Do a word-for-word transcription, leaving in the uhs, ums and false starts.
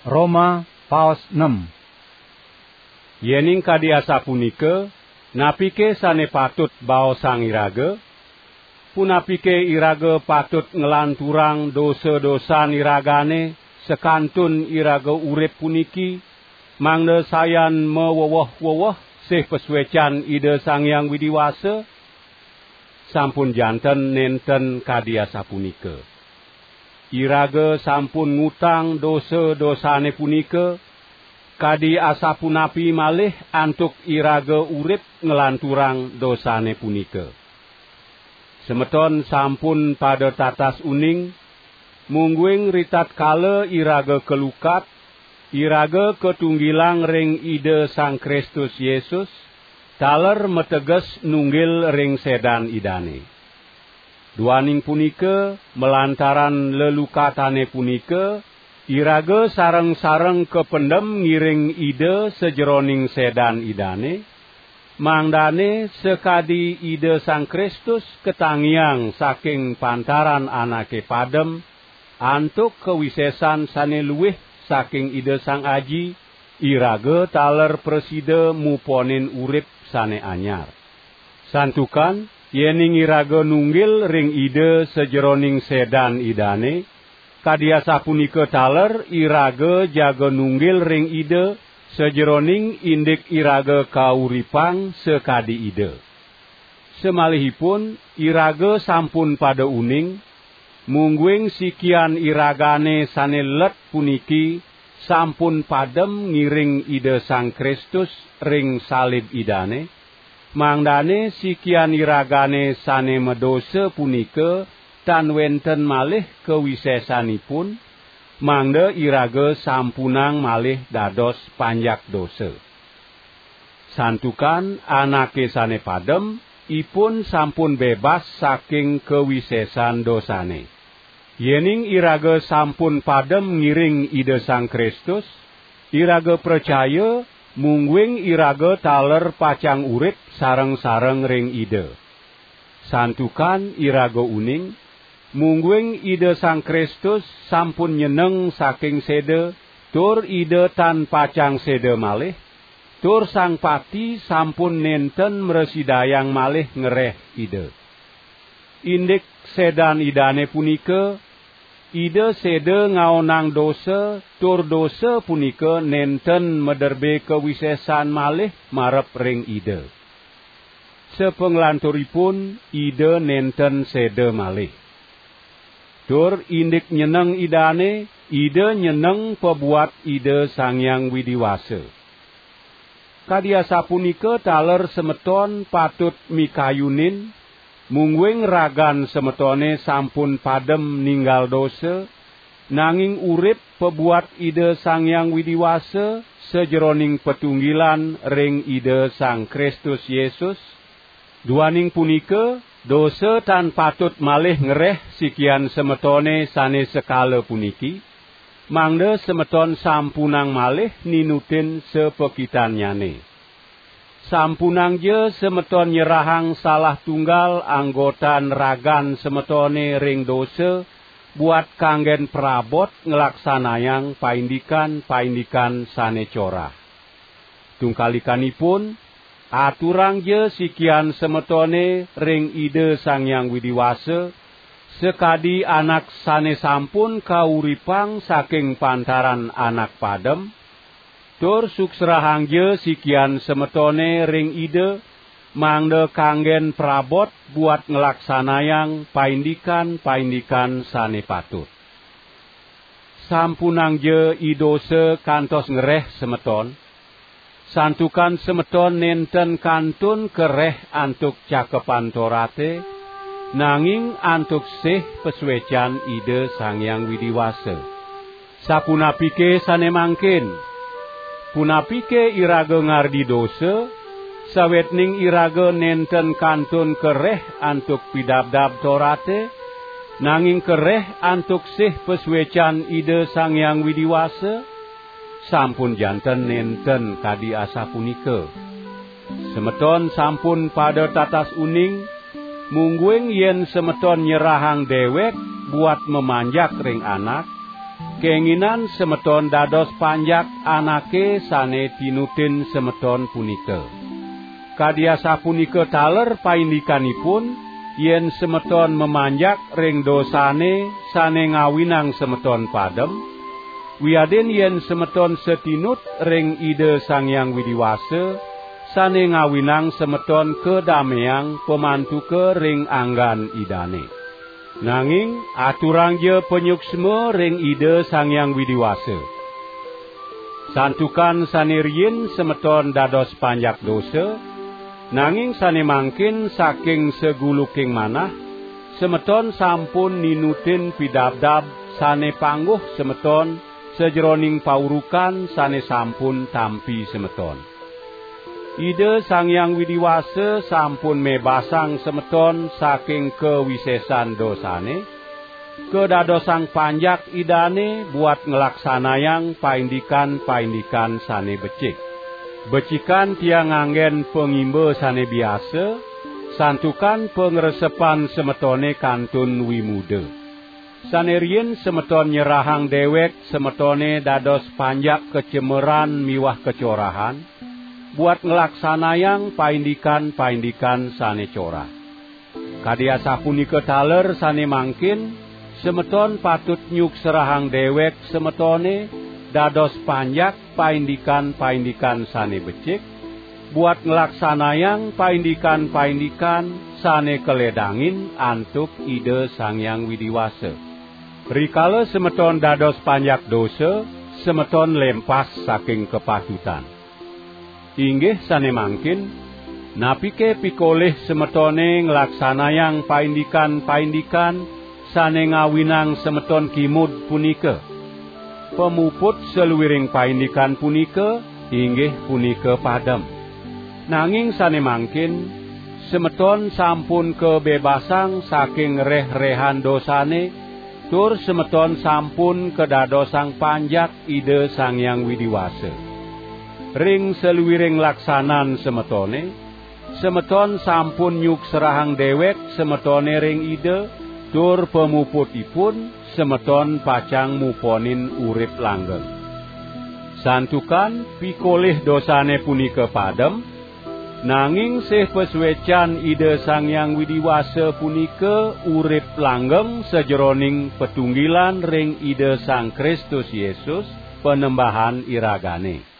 Roma paos nem. Yening kadi asapunika, napike sane patut baosang iraga? Punapike iraga patut nglanturang dosa-dosan iragane sakantun iraga urip puniki, mangda sayan maweweh-weweh sih pasuecan Ida Sang Hyang Widi Wasa? Sampun janten nenten kadi asapunika. Iraga sampun ngutang dosa-dosane punika, kadi asapunapi malih antuk iraga urip nglanturang dosane punika. Semeton sampun pada tatas uning, mungguing ritatkala iraga kalukat, iraga katunggilang ring Ida Sang Kristus Yesus, taler mateges nunggil ring sedan Idane. Duaning punika, malantaran lelukatane punika, iraga sareng-sareng kapendem ngiring Ida sajeroning sedan Idane, mangdane sakadi Ida Sang Kristus katangiang saking pantaran anake padem, antuk kawisesan sane luih saking Ida Sang Aji, iraga taler prasida muponin urip sane anyar. Santukan, yening iraga nunggil ring Ida sajeroning sedan Idane, kadi asapunika taler iraga jaga nunggil ring Ida sajeroning indik iraga kauripang sakadi Ida. Samalihipun iraga sampun pada uning, mungguing sikian iragane sane let puniki sampun padem ngiring Ida Sang Kristus ring salib Idane, mangdane sikian iragane sane madosa punika tan wenten malih kawisesanipun, mangda iraga sampunang malih dados panjak dosa. Santukan anake sane padem, ipun sampun bebas saking kawisesan dosane. Yening iraga sampun padem ngiring Ida Sang Kristus, iraga pracaya, mungguing iraga taler pacang urip sareng-sareng ring Ida. Santukan iraga uning, mungguing Ida Sang Kristus sampun nyeneng saking seda, tur Ida tan pacang seda malih, tur Sang Pati sampun nenten mrasidayang malih ngereh Ida. Indik sedan Idane punika, Ida seda ngaonang dosa, tur dosa punika nenten maderbe kawisesan malih marep ring Ida. Sapanglanturipun Ida nenten seda malih. Tur indik nyeneng Idane, Ida nyeneng pabuat Ida Sang Hyang Widi Wasa. Kadi asapunika taler semeton patut mikayunin, mungguing ragan semetone sampun padem ninggal dosa, nanging urip pabuat Ida Sang Hyang Widi Wasa sajeroning patunggilan ring Ida Sang Kristus Yesus. Duaning punika, dosa tan patut malih ngereh sikian semetone sane sekala puniki, mangda semeton sampunang malih ninutin sapakitannyane. Sampunangja semeton nyerahang salah tunggal anggotan ragan semetone ring dosa, buat kanggen prabot nglaksanayang paindikan-paindikan sane corah. Tungkalikanipun, aturangja sikian semetone ring Ida Sang Hyang Widi Wasa, sakadi anak sane sampun kauripang saking pantaran anak padem, tur suksrahangja sikian semetone ring Ida, mangda kanggen prabot buat nglaksanayang paindikan-paindikan sane patut. Sampunangja idosa kantos ngereh semeton, santukan semeton nenten kantun kareh antuk Cakepan Torate, nanging antuk sih pasuecan Ida Sang Hyang Widi Wasa. Sapunapike sane mangkin? Punapike iraga ngardi dosa, sawetning iraga nenten kantun kareh antuk Pidabdab Torate, nanging kareh antuk sih pasuecan Ida Sang Hyang Widi Wasa? Sampun janten nenten kadi asapunika. Semeton sampun pada tatas uning, mungguing yen semeton nyerahang dewek buat mamanjak ring anak, Kenginan semeton dados panjak anake sane tinutin semeton punika. Kadi asapunika taler paindikanipun, yen semeton mamanjak ring dosane sane ngawinang semeton padem, wiadin yen semeton satinut ring Ida Sang Hyang Widi Wasa, sane ngawinang semeton kadameang pamantuka ring anggan Idane. Nanging aturangja panyuksma ring Ida Sang Hyang Widi Wasa. Santukan sane riin semeton dados panjak dosa, nanging sane mangkin saking saguluking manah, semeton sampun ninutin pidabdab sane pangguh semeton sajeroning paurukan sane sampun tampi semeton. Ida Sang Hyang Widi Wasa sampun mebasang semeton saking kawisesan dosane, kadadosang panjak Idane buat nglaksanayang paindikan-paindikan sane becik. Becikan tiang nganggen pangimba sane biasa, santukan pangresepan semetone kantun wimuda. Sane riin semeton nyerahang dewek semetone dados panjak kacemeran miwah kacorahan, buat nglaksanayang paindikan-paindikan sane corah. Kadi asapunika taler sane mangkin, semeton patut nyukserahang dewek semetone dados panjak paindikan-paindikan sane becik, buat nglaksanayang paindikan-paindikan sane kaledangin antuk Ida Sang Hyang Widi Wasa. Rikala semeton dados panjak dosa, semeton lempas saking kapatutan. Inggih sane mangkin, napike pikolih semetone nglaksanayang paindikan-paindikan sane ngawinang semeton kimud punika? Pamuput saluiring paindikan punika inggih punika padem. Nanging sane mangkin, semeton sampun kabebasang saking reh-rehan dosane, tur semeton sampun kadadosang panjak Ida Sang Hyang Widi Wasa. Ring saluiring laksanan semetone, semeton sampun nyukserahang dewek semetone ring Ida, tur pamuputipun semeton pacang muponin urip langgeng. Santukan pikolih dosane punika padem, nanging sih pasuecan Ida Sang Hyang Widi Wasa punika urip langgeng sajeroning patunggilan ring Ida Sang Kristus Yesus, Panembahan iragane.